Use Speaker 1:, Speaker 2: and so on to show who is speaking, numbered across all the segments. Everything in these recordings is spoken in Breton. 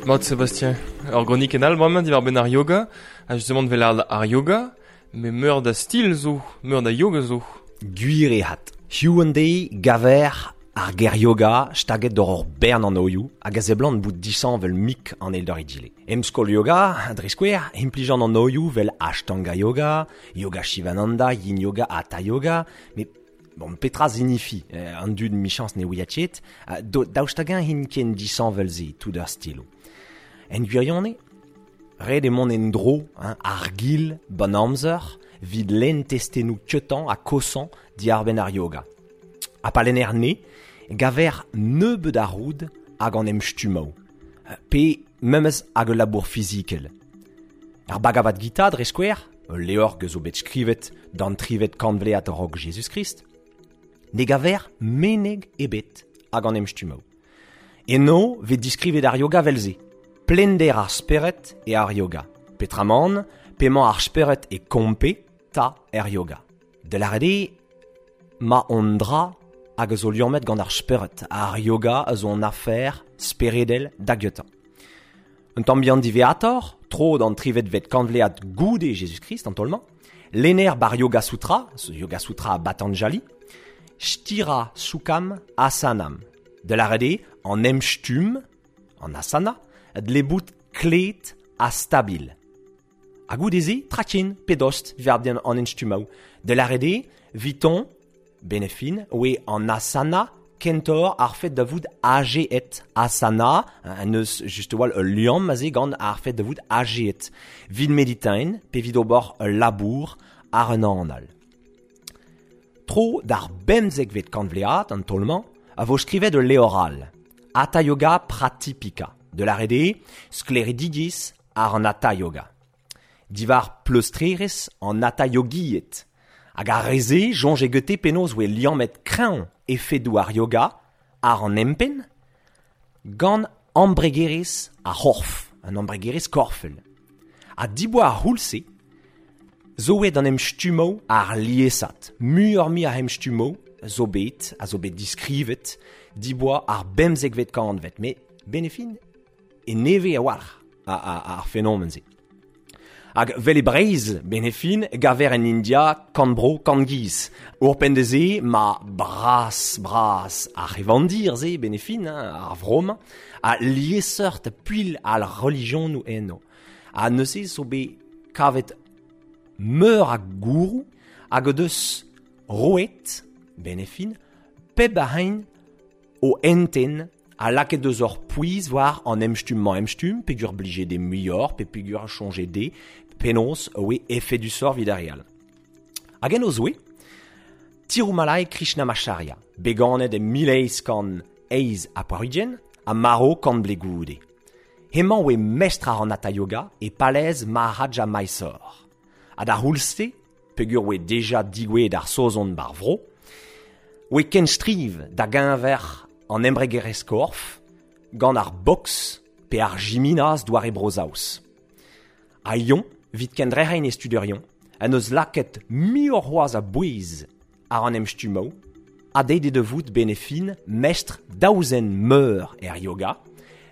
Speaker 1: Mat Sébastien, ur gronikenn all bremañ diwar-benn ar yoga, ha justement vel ar yoga, met meur da stil zo, meur da yoga zo.
Speaker 2: Gwir eo 'hat. Hiziv an deiz gaver ar ger yoga staget doc'h ur bern anvioù hag a seblant bout disheñvel mik an eil doc'h egile. Em skol yoga, dre skouer, implijan anvioù 'vel Ashtanga yoga, Yoga Shivananda, Yin yoga, Hatha yoga, met bon, petra zinifi an dud 'michañs ne ouia ket, daoust hag-eñ int ken disheñvel-se tout ar stiloù. En gwirionez, ret eo mont en-dro hein, ar-gil 'ban amzer 'vit lenn testennoù keutañ ha kosañ diàr-benn ar yoga. Ha pa lenner 'ne, gaver nebeut a roud hag an emstummoù, pe memes hag ul labour fizikel. Ar Bhagavad Gita, dre skouer, ul levr zo bet skrivet d'an trivet kantvlead a-raok Jezuz-Krist, ne gaver meneg ebet hag an emstummoù. Eno 'vez diskrivet ar yoga 'vel-se, plender ar spered eo ar yoga, petramant p'emañ ar spered e kompe 'ta er yoga. Da lâret eo ma on dra hag a zo liammet gant ar spered, ar yoga a zo un afer speredel da gentañ. Un tamm bihan diwezhatoc'h, tro d'an trivetvet kantvlead goude Jezuz-Krist an taol-mañ, lenner bar Yoga Sutra, Yoga Sutra Patanjali, Sthira Sukham Asanam, da lâret eo an emstumm, an asana, dle bout klet ha stabil. Ha goude-se, traken pe dost diwar an emstummoù, da lâret eo, 'viton, benefin, oe an asana kentoc'h ar fed da vout azeet. Asana, en deus just a-walc'h ul liamm aze gant ar fed da vout azeet. 'Vit meditain pe 'vit ober ul labour àr un anal. Tro d'ar bemzekvet kantvlead, an taol-mañ, a vo skrivet ul levr all, Hatha Yoga Pradipika, da lâret eo sklaeridigezh àr an Hatha Yoga. Diwar pleustrerezh an Hatha Yogied. Hag ar re-se soñje gete penaos oe liammet kreñv efedoù ar yoga àr an empenn gant embregerezh ar c'horf, an embregerezh korfel. Ha diboa ar c'houlz-se zo aet an emstummoù àr liesat. Muioc'h-mui a emstummoù zo bet, a zo bet diskrivet diboa ar bemzekvet kantved. Met benefin e nevez a-walc'h ar fenomen-se. Hag 'vel e Breizh, benefin, gaver en India kant bro, kant giz. Ouzhpenn da se, ma bras-bras ar c'hevandir-se, benefin, hein, ar vro-mañ, ha liesseurt puilh al relijionoù eno. Ha neuze zo bet kavet meur a gourou hag o deus roet, benefin, pep a hini o hentenn ha lakaet deus ur pouez war an emstumm-mañ-emstumm, peogwir blije dezhe muioc'h, pe peogwir soñje dezhe penaos oe efedusoc'h evit ar re all. Hag en o zouez, Tirumalai Krishnamacharya, bet ganet e 1888 ha marv kant vloaz goude. Hemañ oe mestr àr an Hatha Yoga e palez Maharaja Mysore. Ha d'ar c'houlz-se, peogwir oe deja digouezhet ar Saozon bar vro, oe kenstriv da geñver an embregerezh korf gant ar boks pe ar jiminas doare Bro-Saoz. Ha eñ, 'vit kendrec'hiñ e studerion, en deus lakaet muioc'h c'hoazh a bouez àr an emstummoù, ha deuet eo da vout benefin mestr daou zen meur er yoga,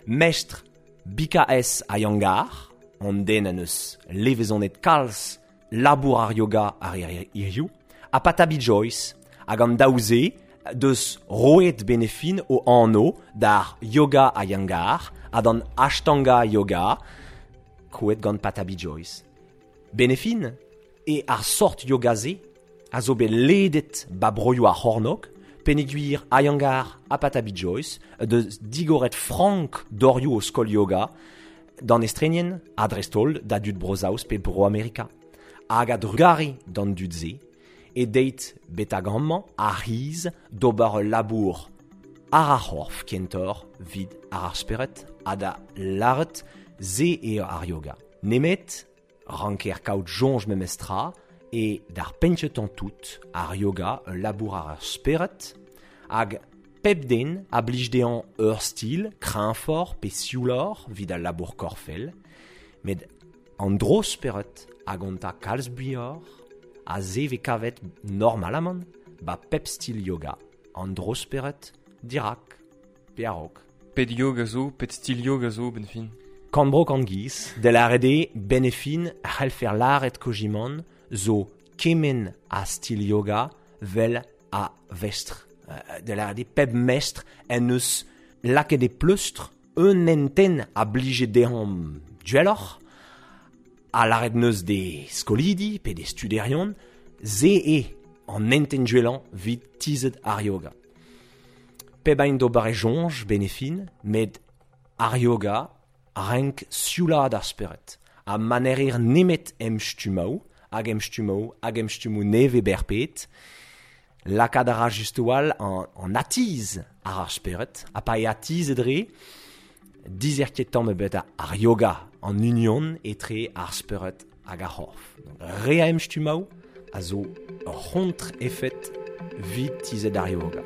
Speaker 2: mestr BKS Iyengar, an den en deus levezonet kalz labour ar yoga ar hiziv, ha Pattabhi Jois, hag an daou-se deus roet benefin o anv d'ar yoga Iyengar ha d'an Ashtanga yoga, krouet gant Pattabhi Jois. Benefin e ar sort yoga-se a zo bet ledet ba broioù ar c'hornôg, peogwir Iyengar ha Pattabhi Jois deus digoret frank dorioù o skol yoga d'an estrenien ha dreist-holl da dud Bro-Saoz pe Bro-Amerika. Hag a-drugarez d'an dud-se e deit betek amañ ar c'hiz d'ober ul labour àr ar c'horf kentoc'h 'vit àr ar spered ha da lâret se eo ar yoga. Nemet ranker kaout soñj memestra e d'ar penn-kentañ tout ar yoga ul labour àr ar spered hag pep den a blij dezhañ ur stil kreñvoc'h pe siouloc'h 'vit al labour korfel, met an dro-spered a gonta kalz muioc'h ha se 'vez kavet normalamant 'ba pep stil yoga, an dro-spered dirak pe a-raok.
Speaker 1: Pet yoga zo, pet stil yoga zo, benn fin.
Speaker 2: Kan bro kan giz, de l'arede benefin a c'hellfer laret kojiman zo kemen a stil yoga vel a vestr. De l'arede peb mestr en eus laket e pleustr un enten a blije dehom duelloc'h, a laret neus de skolidi pe de studerion, ze e an enten duellan vid tizet ar yoga. Peb ein d'ober e jonj benefin, met ar yoga renk sioulad ar spered, a manerir nemet em stumaou, hag em stumaou, hag em stumou neve berpet, lakad a ra just an, an atiz ar ar spered, ha pa e atiz edre, dizerket tamm ebet ar yoga an union etre ar spered hag ar c'horf. Re a em stumaou a zo ur c'hontre efet vid tizet ar yoga.